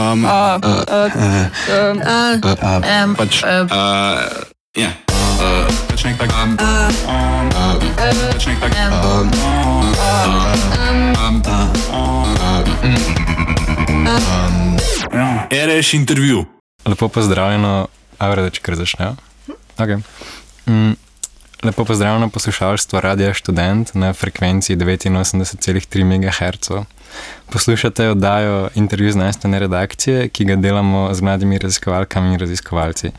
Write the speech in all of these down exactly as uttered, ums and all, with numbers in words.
Um, uh, uh, uh, uh, uh, um, pač, uh, ja, uh, pač nek tak, um, um, pač nek tak, um, um, um, R Š intervju. Lepo pozdravljeno, Avradeč, kar začnejo. Okay. Mm, lepo pozdravljeno poslušalstvo Radia Študent na frekvenciji devetinosemdeset celih tri megaherca. Poslušate oddajo Intervju znanstvene redakcije, ki ga delamo z mladimi raziskovalkami in raziskovalci.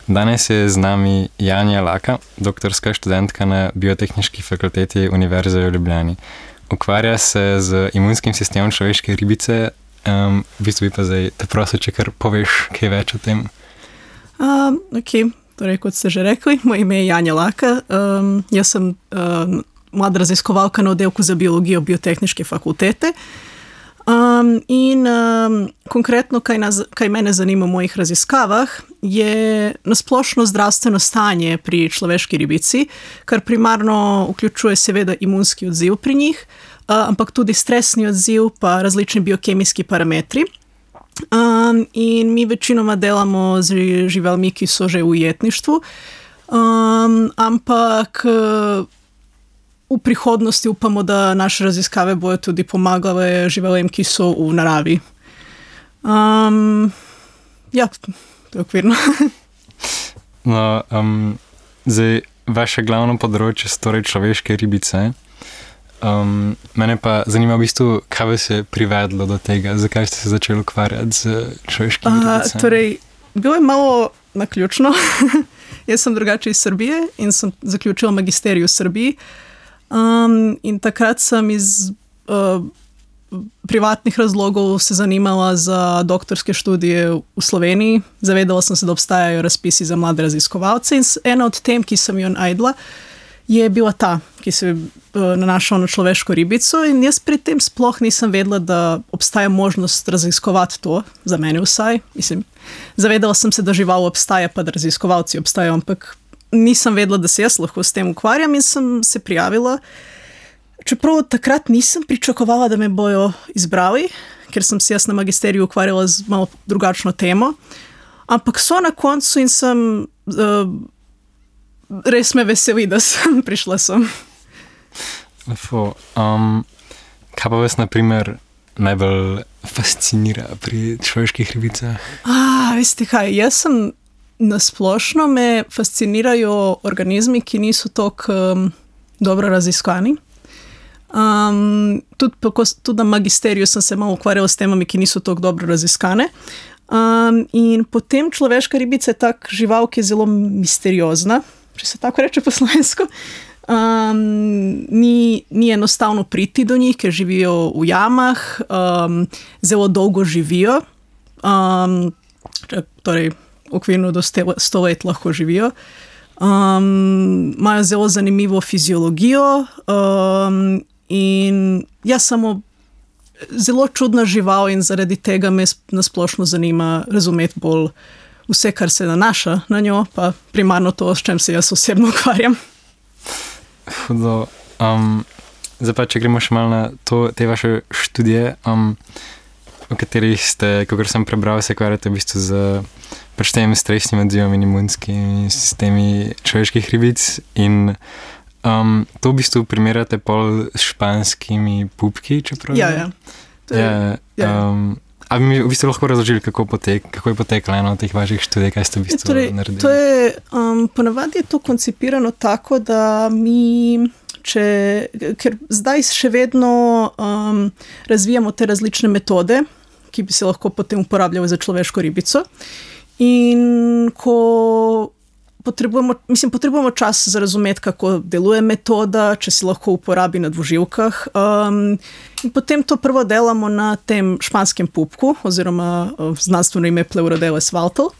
Danes je z nami Janja Laka, doktorska študentka na Biotehniški fakulteti Univerze v Ljubljani. Ukvarja se z imunskim sistemom človeške ribice. Um, v bistvu bi pa zdaj te prosil, če kar poveš kaj več o tem. Um, ok, torej kot ste že rekli, moje ime je Janja Laka. Um, jaz sem um, mlada raziskovalka na oddelku za biologijo Biotehniške fakultete. Um, in um, konkretno, kaj, nas, kaj mene zanima v mojih raziskavah, je nasplošno zdravstveno stanje pri človeški ribici, kar primarno vključuje seveda imunski odziv pri njih, uh, ampak tudi stresni odziv pa različni biokemijski parametri. Um, in mi večinoma delamo z živalmi, ki so že v ujetništvu, um, ampak v prihodnosti upamo, da naše raziskave bojo tudi pomagale živalem, ki so v naravi. Um, ja, to je okvirno. No, um, zdaj, vaše glavno področje so torej človeške ribice. Um, mene pa zanima v bistvu, kaj vas je privedlo do tega, zakaj ste se začeli ukvarjati z človeškimi ribicami? Torej, bilo je malo naključno. Jaz sem drugače iz Srbije in sem zaključila magisterij v Srbiji. Um, in takrat sem iz uh, privatnih razlogov se zanimala za doktorske študije v Sloveniji. Zavedala sem se, da obstajajo razpisi za mlade raziskovalce in ena od tem, ki sem jo najdla, je bila ta, ki se je uh, nanašala na človeško ribico in jaz pri tem sploh nisem vedela, da obstaja možnost raziskovati to, za mene vsaj. Mislim, zavedala sem se, da žival obstaja, pa da raziskovalci obstajajo, ampak nisem vedela, da se jaz lahko s tem ukvarjam in sem se prijavila. Čeprav takrat nisem pričakovala, da me bojo izbrali, ker sem se jaz na magisteriju ukvarjala z malo drugačno temo. Ampak so na koncu in sem uh, res me veseli, da sem prišla sem. Lepo. Um, kaj pa vas, na primer, najbolj fascinira pri človeških ribicah? Ah, veste kaj, jaz sem nasplošno me fascinirajo organizmi, ki niso toliko um, dobro raziskani. Um, tudi, tudi na magisteriju sem se malo ukvarjala s temami, ki niso toliko dobro raziskane. Um, in potem človeška ribica je tak žival, ki je zelo misteriozna, če se tako reče po slovensko. Um, ni, ni enostavno priti do njih, ker živijo v jamah, um, zelo dolgo živijo. Um, torej, okvirno do sto let lahko živijo. Um, imajo zelo zanimivo fiziologijo um, in jaz samo zelo čudna žival in zaradi tega me nasplošno zanima razumeti bolj vse, kar se nanaša na njo, pa primarno to, s čem se jaz osebno ukvarjam. Hudo. Um, zdaj pa, če gremo še malo na to, te vaše študije, um, v katerih ste, kakor sem prebral, se ukvarjate v bistvu z pač tem stresnim odzivom in imunskimi sistemi človeških ribic in um, to v bistvu primerjate pol s španskimi pupki, čeprav? Ja, ja. To je, ja, ja. Um, a bi mi v bistvu lahko razložili, kako, potek, kako je potekla eno od teh vaših študij, kaj ste v bistvu torej, naredili? To je, um, ponavadi je to koncipirano tako, da mi, če, ker zdaj še vedno um, razvijamo te različne metode, ki bi se lahko potem uporabljali za človeško ribico. In ko potrebujemo, mislim, potrebujemo čas za razumeti, kako deluje metoda, če se lahko uporabi na dvoživkah. Um, in potem to prvo delamo na tem španskem pupku, oziroma uh, znanstveno ime Pleurodeles valtel.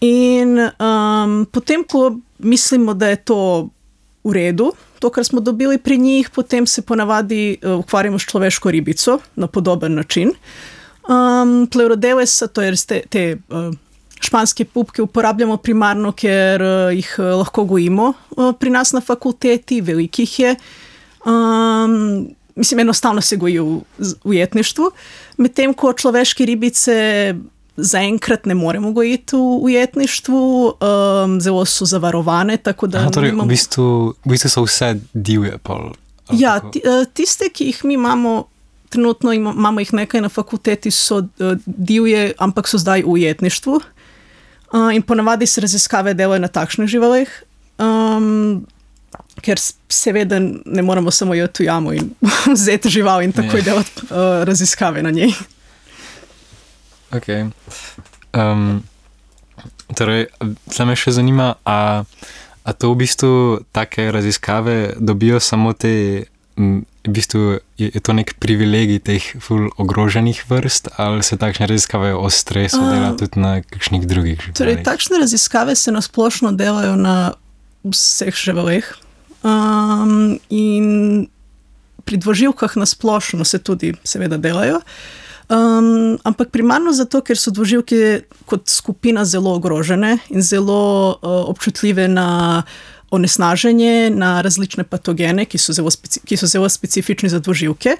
In um, potem, ko mislimo, da je to v redu, to, kar smo dobili pri njih, potem se ponavadi uh, ukvarjamo s človeško ribico na podoben način. Um, Pleurodelesa, to je te, te uh, španske pupke uporabljamo primarno, ker uh, jih uh, lahko gojimo uh, pri nas na fakulteti, velikih je. Um, mislim, enostavno se goji v ujetništvu, medtem ko človeške ribice zaenkrat ne moremo gojiti v ujetništvu, um, zelo so zavarovane, tako da... Aha, torej, nimamo... v, bistvu, v bistvu so vse divje pol. Ja, ti, tiste, ki jih mi imamo, trenutno imamo jih nekaj na fakulteti, so uh, divje, ampak so zdaj v ujetništvu. Uh, in ponavadi se raziskave delajo na takšnih živalih, um, ker seveda ne moramo samo jeti v jamo in vzeti žival in takoj yeah. delati uh, raziskave na njej. Ok. Um, torej, zdaj me še zanima, a, a to v bistvu take raziskave dobijo samo te, v bistvu je, je to nek privilegij teh ful ogroženih vrst, ali se takšne raziskave o stresu uh, dela tudi na kakšnih drugih živalih? Torej, takšne raziskave se nasplošno delajo na vseh živalih. Um, in pri dvoživkah nasplošno se tudi seveda delajo. Um, ampak primarno zato, ker so dvoživke kot skupina zelo ogrožene in zelo uh, občutljive na onesnaženje, na različne patogene, ki so, zelo speci- ki so zelo specifični za dvoživke.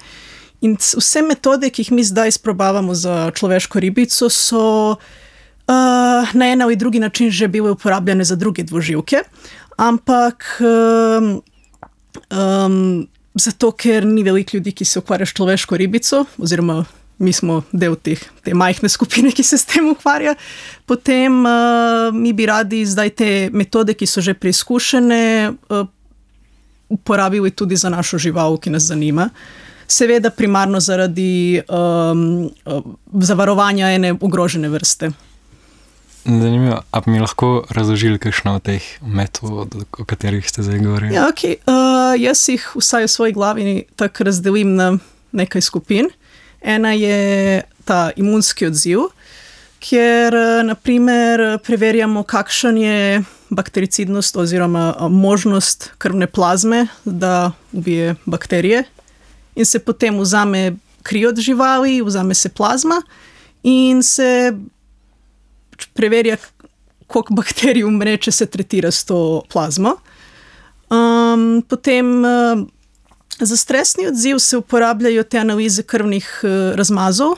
In vse metode, ki jih mi zdaj sprobavamo za človeško ribico, so uh, na en ali drugi način že bile uporabljene za druge dvoživke, ampak um, um, zato, ker ni veliko ljudi, ki se ukvarja s človeško ribico, oziroma mi smo del teh, te majhne skupine, ki se s tem ukvarja. Potem uh, mi bi radi zdaj te metode, ki so že preizkušene, uh, uporabili tudi za našo žival, ki nas zanima. Seveda primarno zaradi um, uh, zavarovanja ene ogrožene vrste. Zanimivo, a bi mi lahko razložili kakšno od teh metod, o katerih ste zdaj govorili? Ja, ok. Uh, jaz jih vsaj v svoji glavi tako razdelim na nekaj skupin. Ena je ta imunski odziv, kjer naprimer preverjamo, kakšen je baktericidnost oziroma možnost krvne plazme, da ubije bakterije. In se potem vzame kri od živali, vzame se plazma in se preverja, koliko bakterij umre, če se tretira s to plazmo. Um, potem uh, za stresni odziv se uporabljajo te analize krvnih uh, razmazov,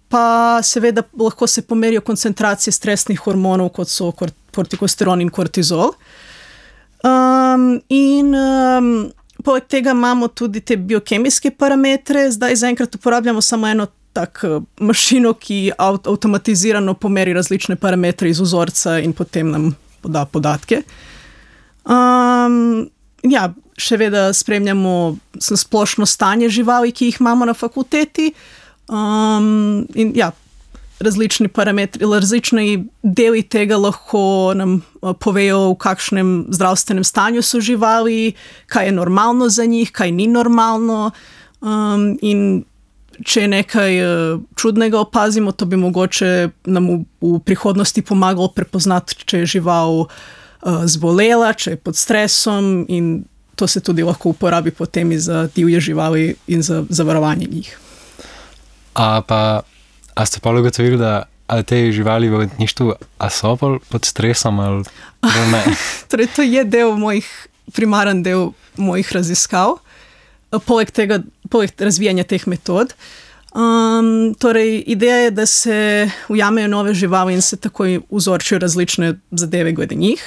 pa seveda lahko se pomerijo koncentracije stresnih hormonov, kot so kortikosteron in kortizol. Um, in um, poleg tega imamo tudi te biokemijske parametre. Zdaj zaenkrat uporabljamo samo eno tak mašino, ki avt- avtomatizirano pomeri različne parametre iz vzorca in potem nam poda podatke. Um, ja, še vedno spremljamo splošno stanje živali, ki jih imamo na fakulteti. Um, in ja, različni parametri, različni deli tega lahko nam povejo, v kakšnem zdravstvenem stanju so živali, kaj je normalno za njih, kaj ni normalno. Um, in če nekaj uh, čudnega opazimo, to bi mogoče nam v, v prihodnosti pomagalo prepoznati, če je žival uh, zbolela, če je pod stresom, in to se tudi lahko uporabi potem za divje živali in za zavarovanje njih. A pa, a ste pa ugotovili, da ali te živali v ujetništvu, a so pod stresom ali ne? Torej, to je del mojih, primaren del mojih raziskav. Poleg tega, poleg razvijanja teh metod. Um, torej, ideja je, da se ujamejo nove živali in se takoj vzorčijo različne zadeve glede njih.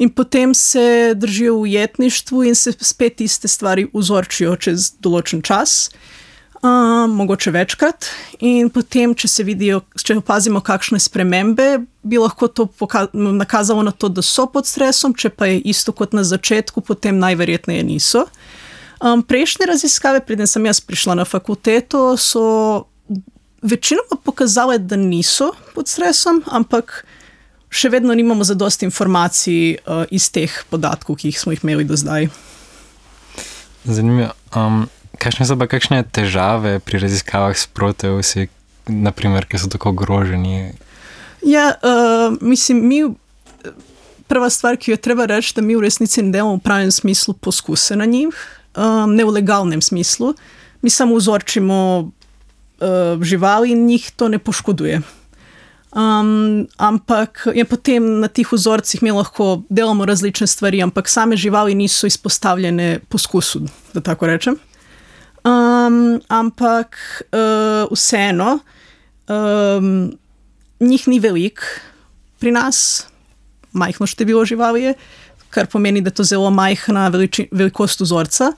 In potem se držijo v ujetništvu in se spet iste stvari vzorčijo čez določen čas, um, mogoče večkrat. In potem, če se vidijo, če opazimo kakšne spremembe, bi lahko to poka- nakazalo na to, da so pod stresom, če pa je isto kot na začetku, potem najverjetneje niso. Um, prejšnje raziskave, preden sem jaz prišla na fakulteto, so večinoma pokazale, da niso pod stresom, ampak še vedno nimamo zadosti informacij uh, iz teh podatkov, ki jih smo jih imeli do zdaj. Zanimivo. Um, kakšne so pa kakšne težave pri raziskavah s proteusi, naprimer, ki so tako ogroženi? Ja, uh, mislim, mi... Prva stvar, ki jo treba reči, da mi v resnici ne delamo v pravem smislu poskuse na njih, um, ne v legalnem smislu. Mi samo vzorčimo uh, živali in njih to ne poškoduje. Um, ampak je potem na tih vzorcih mi lahko delamo različne stvari, ampak same živali niso izpostavljene poskusu, da tako rečem. Um, ampak uh, vseeno, um, njih ni veliko pri nas, majhno število živali je, kar pomeni, da je to zelo majhna veliči, velikost vzorca.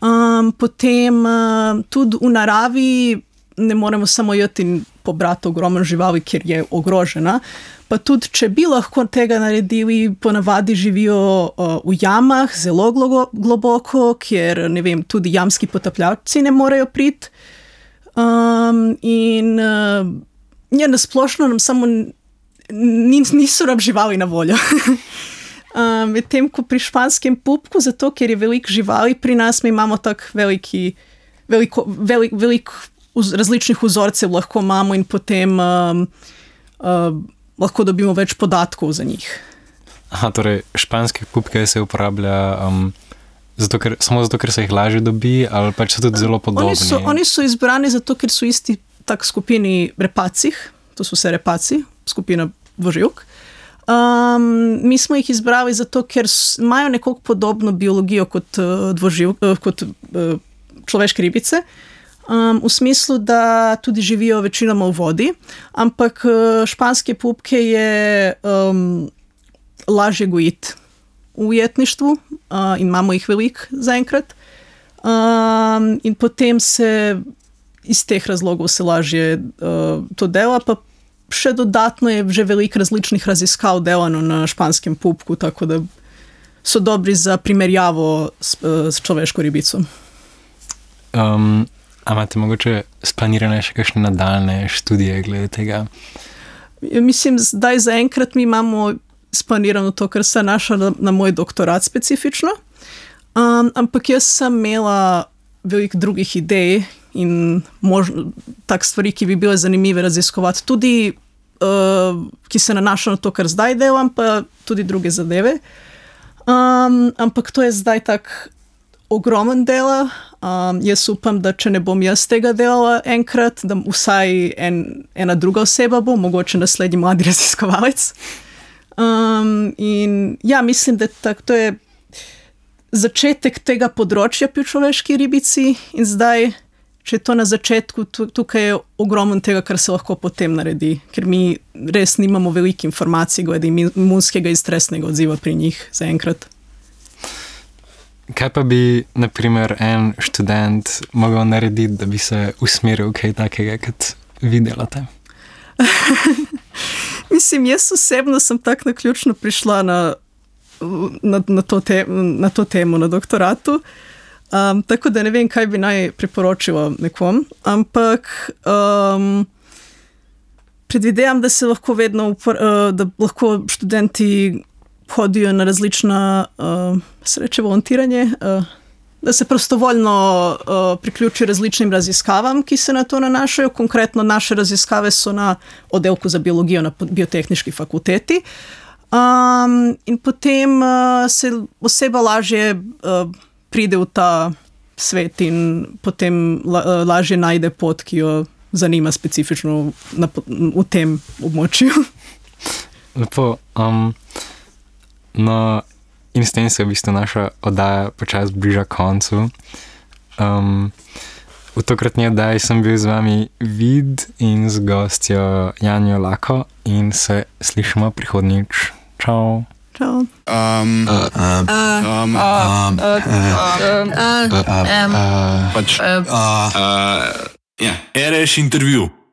Um, potem uh, tudi v naravi ne moremo samo jeti in pobrati ogromno živali, ker je ogrožena. Pa tudi, če bi lahko tega naredili, ponavadi živijo uh, v jamah, zelo globo, globoko, kjer ne vem, tudi jamski potapljalci ne morejo priti. Um, in uh, ja, nasplošno nam samo niso nam živali na voljo. um, Medtem ko pri španskem pupku, zato ker je veliko živali pri nas, mi imamo tako veliki, veliko, velik, velik vz, različnih vzorcev lahko imamo in potem um, uh, lahko dobimo več podatkov za njih. Aha, torej španske pupke se uporablja um, zato, ker, samo zato, ker se jih lažje dobi, ali pač so tudi zelo podobni? Oni so, oni so izbrani zato, ker so isti tak skupini repacih, to so vse repaci, skupina dvoživk. Um, mi smo jih izbrali zato, ker imajo nekoliko podobno biologijo kot, uh, dvoživ, uh, kot uh, človeške ribice. Um, v smislu, da tudi živijo večinoma v vodi, ampak uh, španske pupke je um, lažje gojiti v ujetništvu uh, in imamo jih veliko zaenkrat. Um, in potem se iz teh razlogov se lažje uh, to dela, pa še dodatno je že veliko različnih raziskav delano na španskem pupku, tako da so dobri za primerjavo s, uh, s človeško ribico. Um, A imate mogoče splanirane še kakšne nadaljne študije glede tega? Ja, mislim, zdaj zaenkrat mi imamo splanirano to, kar se naša na, na moj doktorat specifično, um, ampak jaz sem imela veliko drugih idej in možno, tak stvari, ki bi bile zanimive raziskovati, tudi uh, ki se nanašajo na to, kar zdaj delam, pa tudi druge zadeve. Um, ampak to je zdaj tak ogromen dela. Um, jaz upam, da če ne bom jaz tega delala enkrat, da vsaj en, ena druga oseba bo, mogoče naslednji mladi raziskovalec. Um, in ja, mislim, da tak, to je začetek tega področja pri človeški ribici in zdaj, če je to na začetku, tukaj je ogromno tega, kar se lahko potem naredi, ker mi res nimamo veliko informacij glede imunskega in stresnega odziva pri njih zaenkrat. Kaj pa bi, na primer, en študent mogel narediti, da bi se usmeril kaj takega, kot vi delate? Mislim, jaz osebno sem tako naključno prišla na, na, na, to, te, na to temo na doktoratu, um, tako da ne vem, kaj bi naj priporočila nekom, ampak um, predvidevam, da se lahko vedno, upor, uh, da lahko študenti hodijo na različna uh, sreče volontiranje, uh, da se prostovoljno uh, priključi različnim raziskavam, ki se na to nanašajo. Konkretno naše raziskave so na oddelku za biologijo na biotehniški fakulteti. Um, in potem uh, se oseba lažje uh, pride v ta svet in potem la, uh, lažje najde pot, ki jo zanima specifično na, v tem območju. Lepo. Um... No, in s tem se v bistvu naša oddaja počasi bliža koncu. Um, v tokratni oddaji sem bil z vami Vid in z gostjo Janjo Lako in se slišimo prihodnjič. Čau. Čau. Um, uh, uh, um, um, uh, pač, uh, ja. Ereš intervju.